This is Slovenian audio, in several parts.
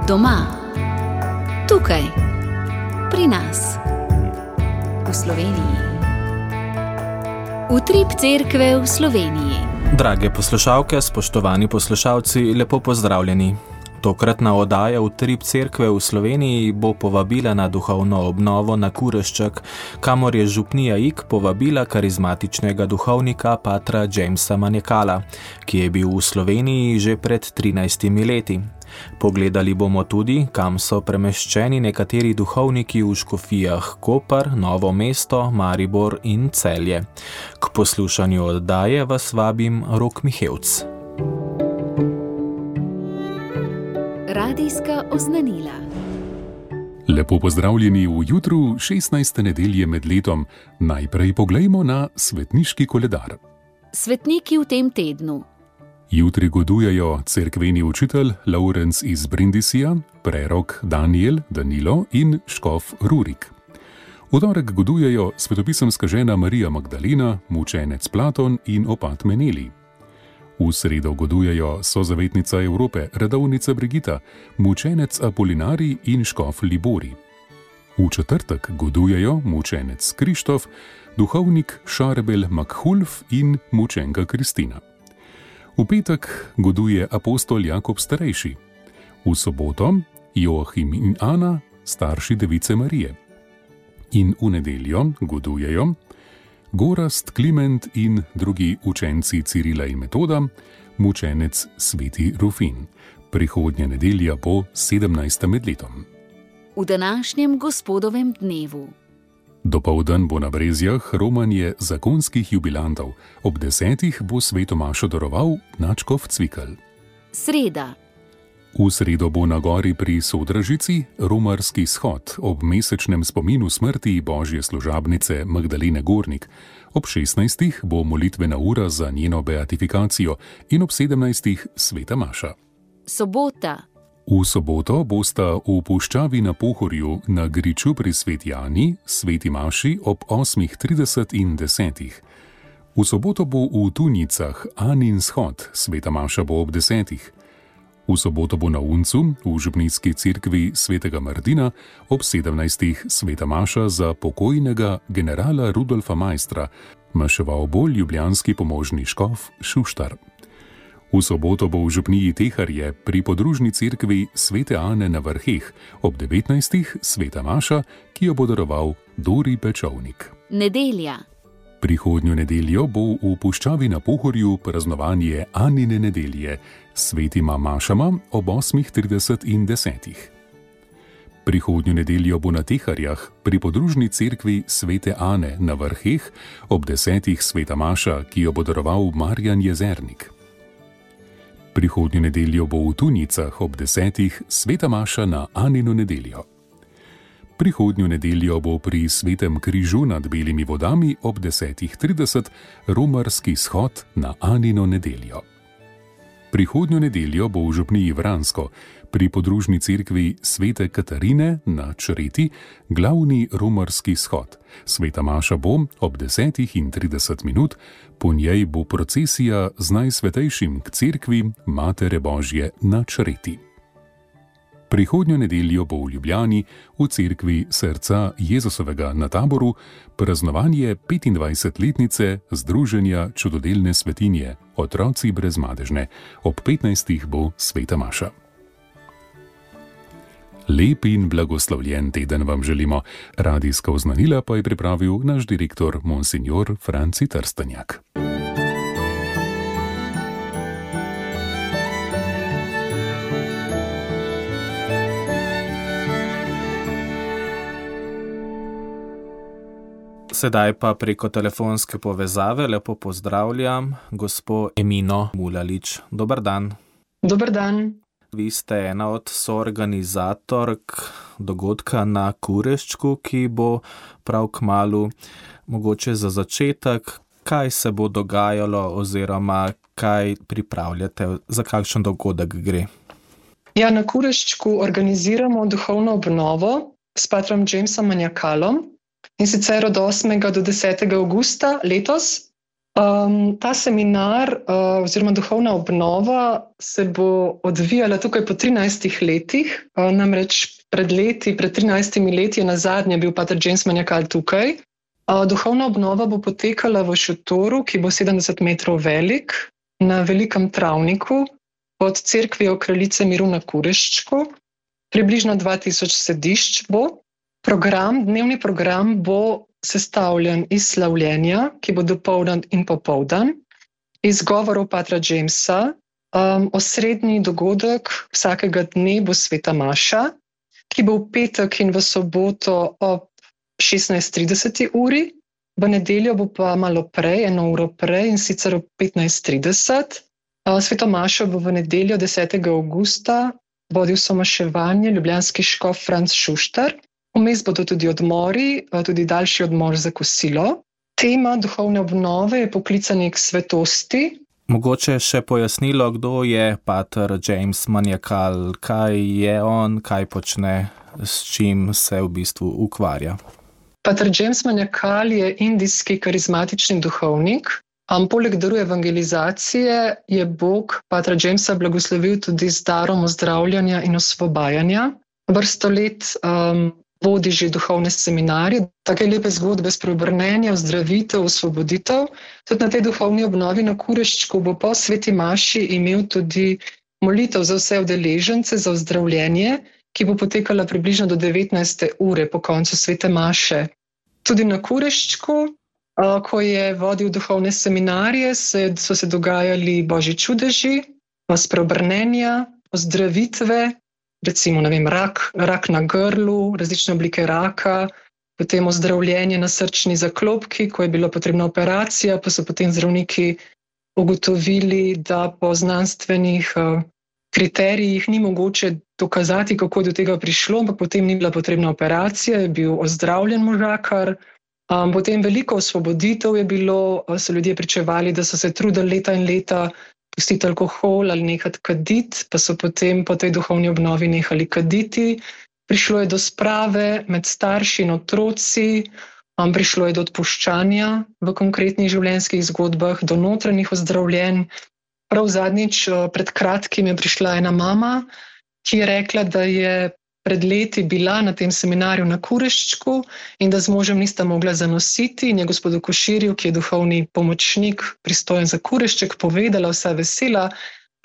Doma, tukaj, pri nas, v Sloveniji. Utrip cerkve v Sloveniji. Drage poslušalke, spoštovani poslušalci, lepo pozdravljeni. Tokratna oddaja Utrip cerkve v Sloveniji bo povabila na duhovno obnovo na Kurešček, kamor je župnija Ig povabila karizmatičnega duhovnika patra Jamesa Manjekala, ki je bil v Sloveniji že pred 13 leti. Pogledali bomo tudi, kam so premeščeni nekateri duhovniki v škofijah Koper, Novo mesto, Maribor in Celje. K poslušanju oddaje vas vabim Rok Mihevc. Radijska oznanila. Lepo pozdravljeni v jutru 16. nedelje med letom. Najprej poglejmo na svetniški koledar. Svetniki v tem tednu. Jutri godujejo cerkveni učitelj Laurenc iz Brindisija, prerok Daniel, Danilo in škof Rurik. V torek godujejo svetopisemska žena Marija Magdalena, mučenec Platon in opat Meneli. V sredo godujejo sozavetnica Evrope, redovnica Brigita, mučenec Apolinarij in škof Libori. V četrtek godujejo mučenec Krištof, duhovnik Šarbel Makhulf in mučenka Kristina. V petek goduje apostol Jakob Starejši. V soboto Joachim in Ana, starši device Marije. In v nedeljo godujejo Gorazd, Kliment in drugi učenci Cirila in Metoda, mučenec Sveti Rufin. Prihodnja nedelja bo 17. med letom. V današnjem gospodovem dnevu. Dopoldan bo na Brezjah romanje zakonskih jubilantov. Ob 10. bo sveto mašo daroval nadškof Cvikl. Sreda. V sredo bo na gori pri Sodražici romarski shod ob mesečnem spominu smrti božje služabnice Magdalene Gornik. Ob 16. bo molitvena ura za njeno beatifikacijo in ob 17. sveta maša. Sobota. V soboto bosta v puščavi na Pohorju na griču pri Sveti Ani, sveti maši ob 8.30 in 10. V soboto bo v Tunjicah Anin shod, sveta maša bo ob 10. V soboto bo na Uncu, v župnijski cerkvi svetega Martina, ob 17. sveta maša za pokojnega generala Rudolfa Maistra, maševal bo ljubljanski pomožni škof Šuštar. V soboto bo v župniji Teharje pri podružni cerkvi svete Ane na Vrheh, ob 19. sveta maša, ki jo bo daroval Dori Pečovnik. Nedelja. Prihodnjo nedeljo bo v puščavi na Pohorju praznovanje Anine nedelje s svetima mašama ob 8.30 in 10. Prihodnjo nedeljo bo na Teharjah pri podružni cerkvi svete Ane na Vrheh ob 10. sveta maša, ki jo bo daroval Marjan Jezernik. Prihodnjo nedeljo bo v Tunjicah ob 10. sveta maša na Anino nedeljo. Prihodnjo nedeljo bo pri Svetem križu nad Belimi vodami ob 10.30 romarski shod na Anino nedeljo. Prihodnjo nedeljo bo v župniji Vransko pri podružni cerkvi svete Katarine na Čreti glavni romarski shod. Sveta maša bo ob 10.30, po njej bo procesija z najsvetejšim k cerkvi Matere Božje na Čreti. Prihodnjo nedeljo bo v Ljubljani v cerkvi Srca Jezusovega na Taboru praznovanje 25-letnice Združenja čudodelne svetinje Otroci brezmadežne. Ob 15. bo sveta maša. Lep in blagoslovljen teden vam želimo. Radijska oznanila pa je pripravil naš direktor Monsignor Franci Trstenjak. Sedaj pa preko telefonske povezave lepo pozdravljam gospo Emino Mulalič. Dober dan. Dober dan. Vi ste ena od soorganizatork dogodka na Kureščku, ki bo prav kmalu. Mogoče za začetek, kaj se bo dogajalo oziroma kaj pripravljate, za kakšen dogodek gre? Ja, na Kureščku organiziramo duhovno obnovo s patrom Jamesom Manjekalom, in sicer od 8. do 10. avgusta letos. Ta seminar oziroma duhovna obnova se bo odvijala tukaj po 13 letih. Namreč pred 13 leti je nazadnje bil pater James Maniakal tukaj. Duhovna obnova bo potekala v šotoru, ki bo 70 metrov velik, na velikem travniku pod cerkvijo Kraljice miru na Kureščku. Približno 2000 sedišč bo. Dnevni program bo sestavljen iz slavljenja, ki bo dopoldan in popoldan, iz govorov patra Jamesa. Osrednji dogodek vsakega dne bo sveta maša, ki bo v petek in v soboto ob 16:30 uri, v nedeljo bo pa malo prej, 1 uro prej, in sicer ob 15:30. Sveto mašo bo v nedeljo 10. avgusta vodil somaševanje ljubljanski škof Franc Šuštar. Vmes bodo tudi odmori, tudi daljši odmor za kosilo. Tema duhovne obnove je poklicanje k svetosti. Mogoče še pojasnilo, kdo je pater James Maniakal, kaj je on, kaj počne, s čim se v bistvu ukvarja. Pater James Maniakal je indijski karizmatični duhovnik. Poleg daru evangelizacije je Bog patra Jamesa blagoslovil tudi z darom ozdravljanja in osvobajanja. Vrsto let vodi že duhovne seminarje, take lepe zgodbe spreobrnenja, ozdravitev, osvoboditev. Tudi na tej duhovni obnovi na Kureščku bo po sveti maši imel tudi molitev za vse udeležence za ozdravljenje, ki bo potekala približno do 19. ure po koncu svete maše. Tudi na Kureščku, ko je vodil duhovne seminarje, so se dogajali božji čudeži, spreobrnenja, ozdravitve, recimo, rak na grlu, različne oblike raka, potem ozdravljenje na srčni zaklopki, ko je bila potrebna operacija, pa so potem zdravniki ugotovili, da po znanstvenih kriterijih ni mogoče dokazati, kako je do tega prišlo, ampak potem ni bila potrebna operacija, je bil ozdravljen možakar. Potem veliko osvoboditev je bilo, so ljudje pričevali, da so se trudili leta in leta pustiti alkohol ali nehati kaditi, pa so potem po tej duhovni obnovi nehali kaditi. Prišlo je do sprave med starši in otroci, prišlo je do odpuščanja v konkretnih življenjskih zgodbah, do notranjih ozdravljenj. Prav zadnjič, pred kratkim, je prišla ena mama, ki je rekla, da je pred leti bila na tem seminarju na Kureščku in da z možem nista mogla zanositi, in je gospodu Koširju, ki je duhovni pomočnik pristojen za Kurešček, povedala, vsa vesela,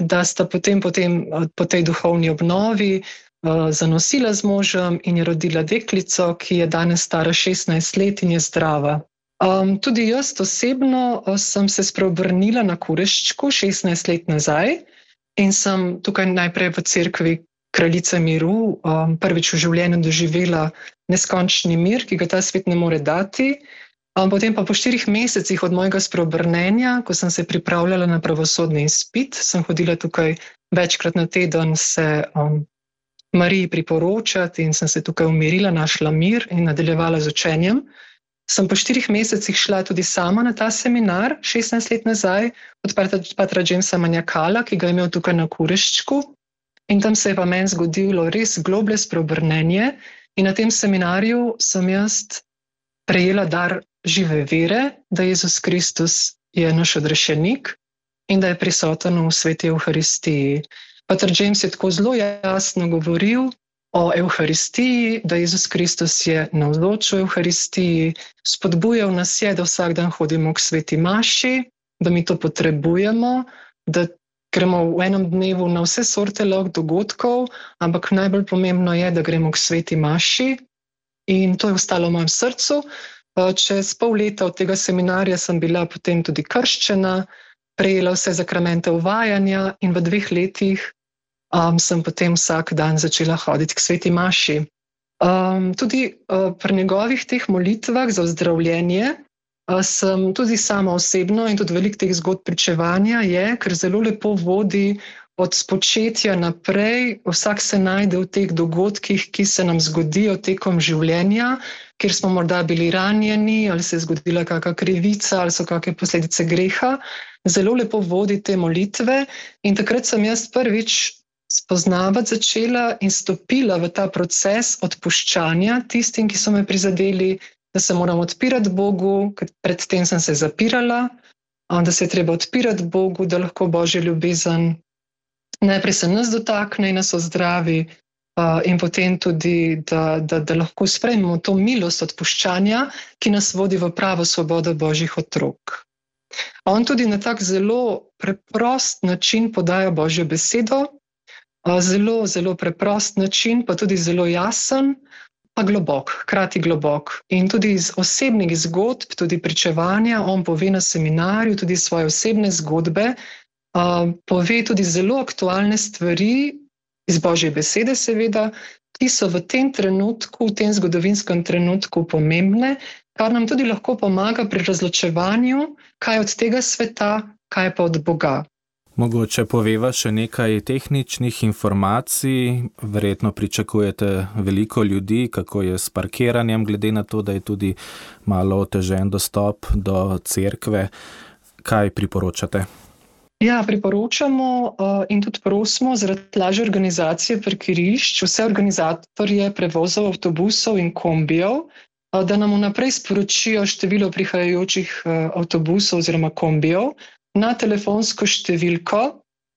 da sta potem po tej duhovni obnovi zanosila z možem in je rodila deklico, ki je danes stara 16 let in je zdrava. Tudi jaz osebno sem se spreobrnila na Kureščku 16 let nazaj in sem tukaj najprej v cerkvi Kraljice miru prvič v življenju doživela neskončni mir, ki ga ta svet ne more dati. Potem pa po 4 mesecih od mojega spreobrnenja, ko sem se pripravljala na pravosodni izpit, sem hodila tukaj večkrat na teden se Mariji priporočati in sem se tukaj umirila, našla mir in nadaljevala z učenjem. Sem po 4 mesecih šla tudi sama na ta seminar, 16 let nazaj, od patra Jamesa Maniakala, ki ga je imel tukaj na Kureščku. In tam se je pa meni zgodilo res globlje spreobrnenje in na tem seminarju sem jaz prejela dar žive vere, da Jezus Kristus je naš odrešenik in da je prisoten v sveti Evharistiji. Pater James je tako zelo jasno govoril o Evharistiji, da Jezus Kristus je navzoč v Evharistiji, spodbujal nas je, da vsak dan hodimo k sveti maši, da mi to potrebujemo, da gremo v enem dnevu na vse sorte dogodkov, ampak najbolj pomembno je, da gremo k sveti maši, in to je ostalo v mojem srcu. Čez pol leta od tega seminarja sem bila potem tudi krščena, prejela vse zakramente uvajanja in v 2 letih sem potem vsak dan začela hoditi k sveti maši. Tudi pri njegovih teh molitvah za ozdravljenje sem tudi sama osebno in tudi veliko teh zgodb pričevanja je, ker zelo lepo vodi od spočetja naprej. Vsak se najde v teh dogodkih, ki se nam zgodijo tekom življenja, kjer smo morda bili ranjeni ali se je zgodila kakšna krivica ali so kakšne posledice greha. Zelo lepo vodi te molitve in takrat sem jaz prvič spoznavati začela in stopila v ta proces odpuščanja tistim, ki so me prizadeli, da se moram odpirati Bogu, ker predtem sem se zapirala, da se je treba odpirati Bogu, da lahko Božja ljubezen najprej se nas dotakne in nas ozdravi, in potem tudi, da lahko sprejmemo to milost odpuščanja, ki nas vodi v pravo svobodo Božjih otrok. On tudi na tak zelo preprost način podaja Božjo besedo, zelo, zelo preprost način, pa tudi zelo jasen, pa globok, hkrati globok. In tudi iz osebnih zgodb, tudi pričevanja, on pove na seminarju tudi svoje osebne zgodbe, pove tudi zelo aktualne stvari, iz Božje besede seveda, ki so v tem trenutku, v tem zgodovinskem trenutku pomembne, kar nam tudi lahko pomaga pri razločevanju, kaj je od tega sveta, kaj pa od Boga. Mogoče poveva še nekaj tehničnih informacij, verjetno pričakujete veliko ljudi, kako je s parkiranjem, glede na to, da je tudi malo otežen dostop do cerkve. Kaj priporočate? Ja, priporočamo in tudi prosimo zaradi lažje organizacije parkirišč vse organizatorje prevozov avtobusov in kombijev, da nam vnaprej sporočijo število prihajajočih avtobusov oziroma kombijev na telefonsko številko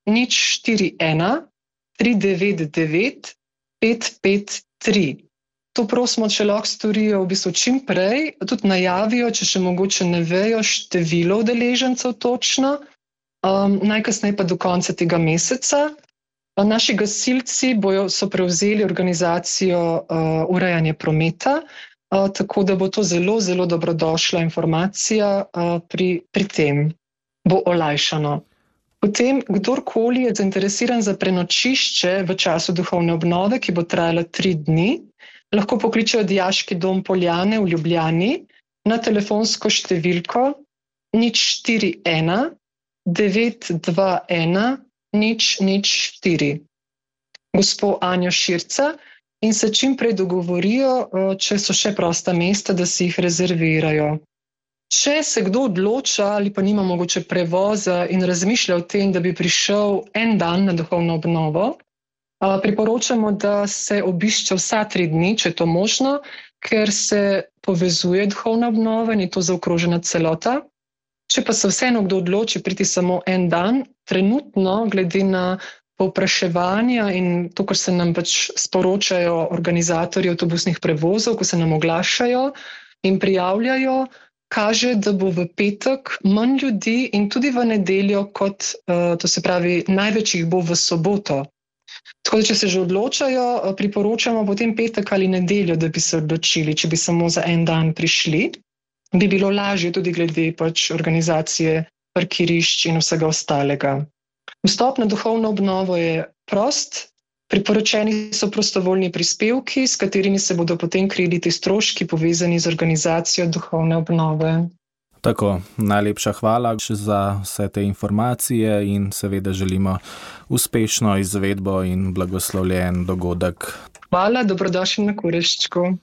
041 399 553. To prosimo, če lahko storijo v bistvu čim prej, tudi najavijo, če še mogoče ne vejo število udeležencev točno, najkasneje pa do konca tega meseca. Naši gasilci so prevzeli organizacijo urejanja prometa, tako da bo to zelo, zelo dobrodošla informacija pri tem. Bo olajšano. Potem, kdorkoli je zainteresiran za prenočišče v času duhovne obnove, ki bo trajala 3 dni, lahko pokličejo Dijaški dom Poljane v Ljubljani na telefonsko številko 041 921 004. Gospo Anjo Širca in se čim prej dogovorijo, če so še prosta mesta, da si jih rezervirajo. Če se kdo odloča ali pa nima mogoče prevoza in razmišlja o tem, da bi prišel en dan na duhovno obnovo, priporočamo, da se obišče vsa 3 dni, če je to možno, ker se povezuje duhovna obnova in je to zaokrožena celota. Če pa se vseeno kdo odloči priti samo en dan, trenutno, glede na povpraševanja in to, kar se nam pač sporočajo organizatorji avtobusnih prevozov, ko se nam oglašajo in prijavljajo, kaže, da bo v petek manj ljudi in tudi v nedeljo, kot to se pravi, največ jih bo v soboto. Tako da, če se že odločajo, priporočamo potem petek ali nedeljo, da bi se odločili, če bi samo za en dan prišli. Bi bilo lažje tudi glede pač organizacije parkirišč in vsega ostalega. Vstop na duhovno obnovo je prost, priporočeni so prostovoljni prispevki, s katerimi se bodo potem krili ti stroški povezani z organizacijo duhovne obnove. Tako, najlepša hvala za vse te informacije in seveda želimo uspešno izvedbo in blagoslovljen dogodek. Hvala, dobrodošli na Kureščku.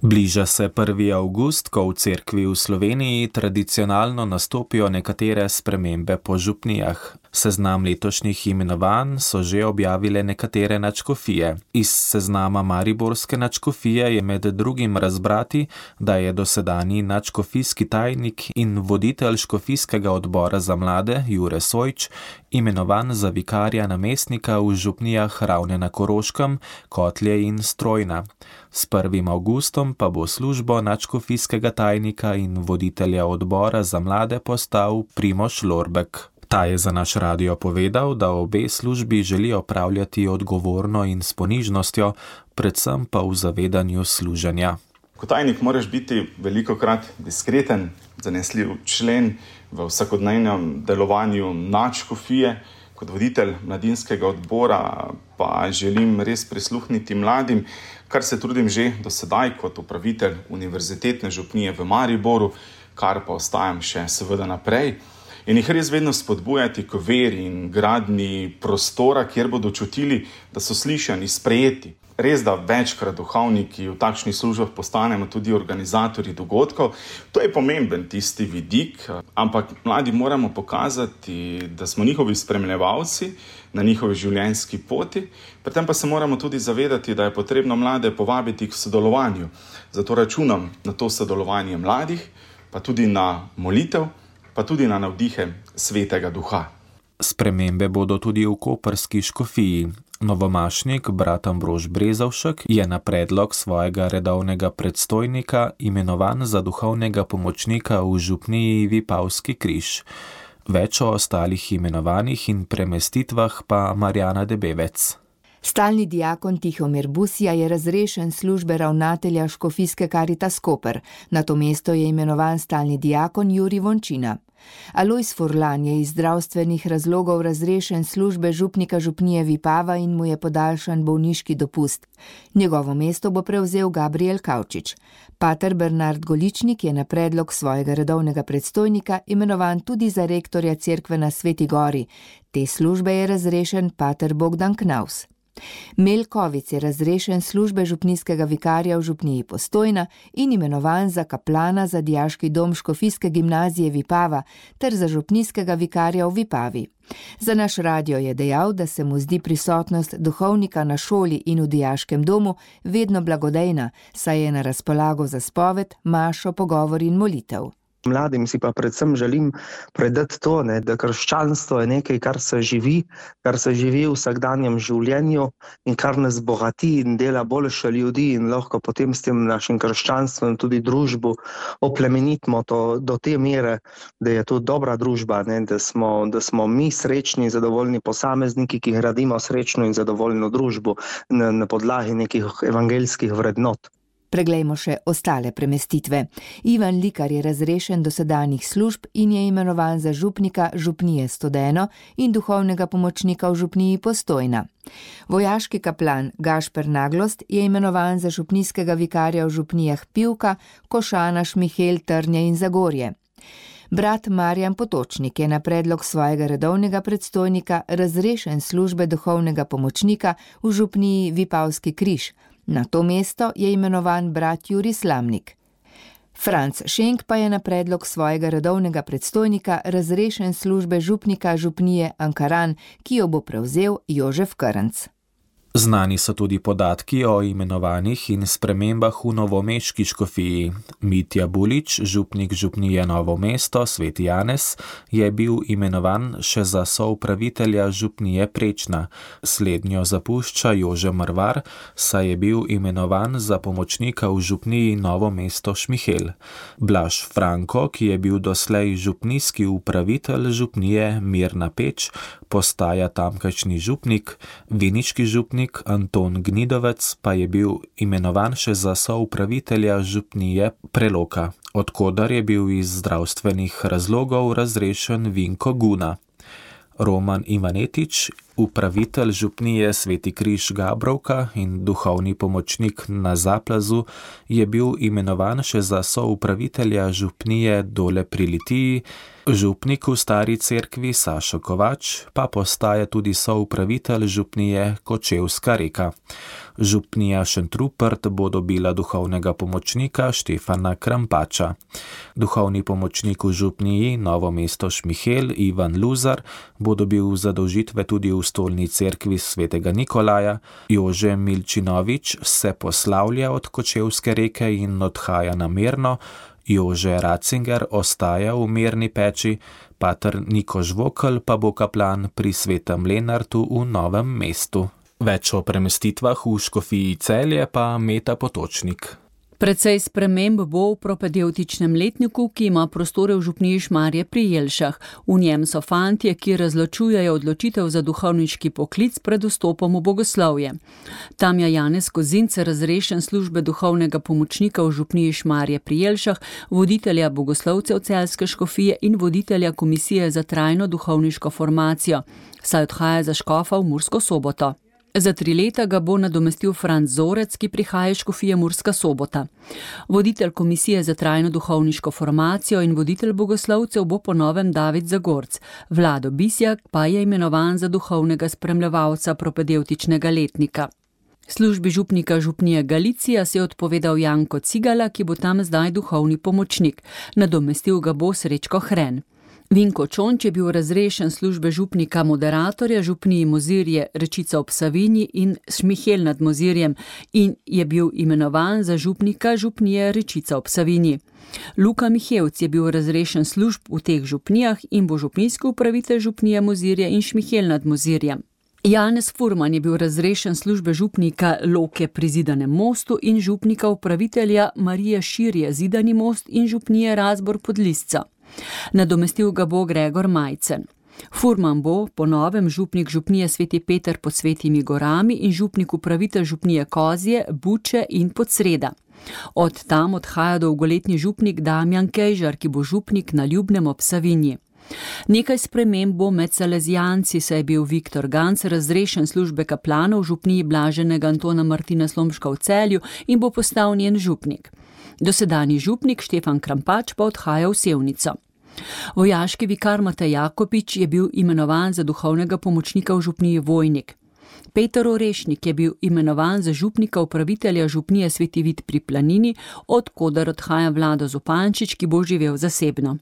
Bliža se 1. avgust, ko v cerkvi v Sloveniji tradicionalno nastopijo nekatere spremembe po župnijah. Seznam letošnjih imenovanj so že objavile nekatere nadškofije. Iz seznama mariborske nadškofije je med drugim razbrati, da je dosedanji nadškofijski tajnik in voditelj škofijskega odbora za mlade Jure Sojč imenovan za vikarja namestnika v župnijah Ravne na Koroškem, Kotlje in Strojna. S 1. avgustom pa bo službo nadškofijskega tajnika in voditelja odbora za mlade postal Primož Lorbek. Ta je za naš radio povedal, da obe službi želi opravljati odgovorno in s ponižnostjo, predvsem pa v zavedanju služenja. Kot tajnik moraš biti velikokrat diskreten, zanesljiv člen v vsakodnevnem delovanju nadškofije. Kot voditelj mladinskega odbora pa želim res prisluhniti mladim, kar se trudim že do sedaj kot upravitelj univerzitetne župnije v Mariboru, kar pa ostajam še seveda naprej. In jih res vedno spodbujati k veri in gradnji prostora, kjer bodo čutili, da so slišani, sprejeti. Res, da večkrat duhovniki v takšnih službah postanemo tudi organizatorji dogodkov. To je pomemben tisti vidik, ampak mladi moramo pokazati, da smo njihovi spremljevalci na njihovi življenjski poti. Pri tem pa se moramo tudi zavedati, da je potrebno mlade povabiti k sodelovanju. Zato računam na to sodelovanje mladih, pa tudi na molitev, pa pa tudi na navdihe Svetega Duha. Spremembe bodo tudi v koprski škofiji. Novomašnik brat Ambrož Brezovšek je na predlog svojega redovnega predstojnika imenovan za duhovnega pomočnika v župniji Vipavski križ. Več o ostalih imenovanjih in premestitvah pa Marjana Debevec. Stalni diakon Tihomir Busija je razrešen službe ravnatelja škofijske Karitas Koper. Na to mesto je imenovan stalni diakon Jurij Vončina. Alojz Furlan je iz zdravstvenih razlogov razrešen službe župnika župnije Vipava in mu je podaljšan bolniški dopust. Njegovo mesto bo prevzel Gabriel Kavčič. Pater Bernard Goličnik je na predlog svojega redovnega predstojnika imenovan tudi za rektorja cerkve na Sveti Gori. Te službe je razrešen pater Bogdan Knaus. Melkovic je razrešen službe župnijskega vikarja v župniji Postojna in imenovan za kaplana za dijaški dom škofijske gimnazije Vipava ter za župnijskega vikarja v Vipavi. Za naš radio je dejal, da se mu zdi prisotnost duhovnika na šoli in v dijaškem domu vedno blagodejna, saj je na razpolago za spoved, mašo, pogovor in molitev. Mladim si pa predvsem želim predati to, da krščanstvo je nekaj, kar se živi v vsakdanjem življenju in kar nas bogati in dela boljše ljudi in lahko potem s tem našim krščanstvom tudi družbo oplemenitimo do te mere, da je to dobra družba, da smo mi srečni in zadovoljni posamezniki, ki gradimo srečno in zadovoljno družbo na podlagi nekih evangeljskih vrednot. Preglejmo še ostale premestitve. Ivan Likar je razrešen dosedanjih služb in je imenovan za župnika župnije Studeno in duhovnega pomočnika v župniji Postojna. Vojaški kaplan Gašper Naglost je imenovan za župnijskega vikarja v župnijah Pivka, Košana, Šmihel, Trnje in Zagorje. Brat Marjan Potočnik je na predlog svojega redovnega predstojnika razrešen službe duhovnega pomočnika v župniji Vipavski križ. Na to mesto je imenovan brat Jurij Slamnik. Franc Šenk pa je na predlog svojega redovnega predstojnika razrešen službe župnika župnije Ankaran, ki jo bo prevzel Jožef Krnc. Znani so tudi podatki o imenovanjih in spremembah v novomeški škofiji. Mitja Bulič, župnik župnije Novo mesto, Sveti Janez, je bil imenovan še za soupravitelja župnije Prečna. Slednjo zapušča Jože Mrvar, saj je bil imenovan za pomočnika v župniji Novo mesto Šmihel. Blaž Franko, ki je bil doslej župnijski upravitelj župnije Mirna Peč, postaja tamkajšnji župnik, viniški župnik Anton Gnidovec pa je bil imenovan še za soupravitelja župnije Preloka, odkodar je bil iz zdravstvenih razlogov razrešen Vinko Guna. Roman Ivanetič, upravitelj župnije Sveti križ Gabrovka in duhovni pomočnik na Zaplazu, je bil imenovan še za soupravitelja župnije Dole pri Litiji, župnik v Stari cerkvi Sašo Kovač pa postaja tudi soupravitelj župnije Kočevska Reka. Župnija Šentrupert bo dobila duhovnega pomočnika Štefana Krampača. Duhovni pomočnik v župniji Novo mesto Šmihel Ivan Luzar bo dobil zadolžitve tudi v stolni cerkvi Svetega Nikolaja. Jože Milčinovič se poslavlja od Kočevske Reke in odhaja na Mirno. Jože Ratzinger ostaja v Mirni Peči, pater Niko Žvokelj pa bo kaplan pri Svetem Lenartu v Novem mestu. Več o premestitvah v škofiji Celje pa Meta Potočnik. Precej sprememb bo v propedevtičnem letniku, ki ima prostore v župniji Šmarje pri Jelšah. V njem so fantje, ki razločujejo odločitev za duhovniški poklic pred vstopom v bogoslovje. Tam je Janez Kozinc razrešen službe duhovnega pomočnika v župniji Šmarje pri Jelšah, voditelja bogoslovcev Celjske škofije in voditelja komisije za trajno duhovniško formacijo, saj odhaja za škofa v Mursko Soboto. Za 3 leta ga bo nadomestil Franc Zorec, ki prihaja iz škofije Murska Sobota. Voditelj komisije za trajno duhovniško formacijo in voditelj bogoslovcev bo po novem David Zagorc. Vlado Bisjak pa je imenovan za duhovnega spremljevalca propedevtičnega letnika. Službi župnika župnije Galicija se je odpovedal Janko Cigala, ki bo tam zdaj duhovni pomočnik. Nadomestil ga bo Srečko Hren. Vinko Čonč je bil razrešen službe župnika moderatorja župniji Mozirje Rečica ob Savinji in Šmihelj nad Mozirjem in je bil imenovan za župnika župnije Rečica ob Savinji. Luka Mihevc je bil razrešen služb v teh župnijah in bo župnijski upravitelj župnije Mozirje in Šmihelj nad Mozirjem. Janez Furman je bil razrešen službe župnika Loke pri Zidanem mostu in župnika upravitelja Marije Širje Zidani most in župnije Razbor pod Lisca. Nadomestil ga bo Gregor Majcen. Furman bo po novem župnik župnije Sveti Peter pod Svetimi gorami in župnik upravitelj župnije Kozje, Buče in Podsreda. Od tam odhaja dolgoletni župnik Damjan Kejžar, ki bo župnik na Ljubnem ob Savinji. Nekaj sprememb bo med salezijanci, saj je bil Viktor Ganc razrešen službe kaplana v župniji Blaženega Antona Martina Slomška v Celju in bo postal njen župnik. Dosedanji župnik Štefan Krampač pa odhaja v Sevnico. Vojaški vikar Matej Jakopič je bil imenovan za duhovnega pomočnika v župniji Vojnik. Peter Orešnik je bil imenovan za župnika upravitelja župnije Sveti Vid pri Planini, od koder odhaja Vlado Zupančič, ki bo živel zasebno.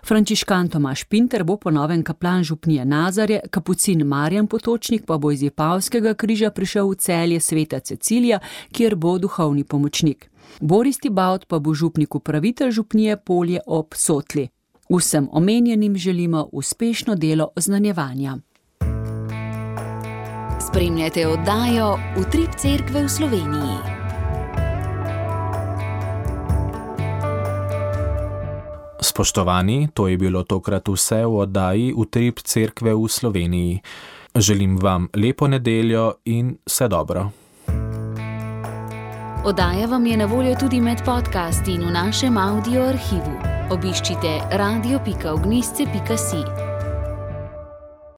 Frančiškan Tomaž Pinter bo po novem kaplan župnije Nazarje, kapucin Marjan Potočnik pa bo iz Vipavskega križa prišel v Celje Sveta Cecilija, kjer bo duhovni pomočnik. Boris Tibaut pa bo župnik upravitelj župnije Polje ob Sotli. Vsem omenjenim želimo uspešno delo oznanjevanja. Spremljate oddajo Utrip cerkve v Sloveniji. Spoštovani, to je bilo tokrat vse v oddaji Utrip cerkve v Sloveniji. Želim vam lepo nedeljo in vse dobro. Oddaja vam je na voljo tudi med podcasti in v našem audio arhivu. Obiščite radio.ognisce.si.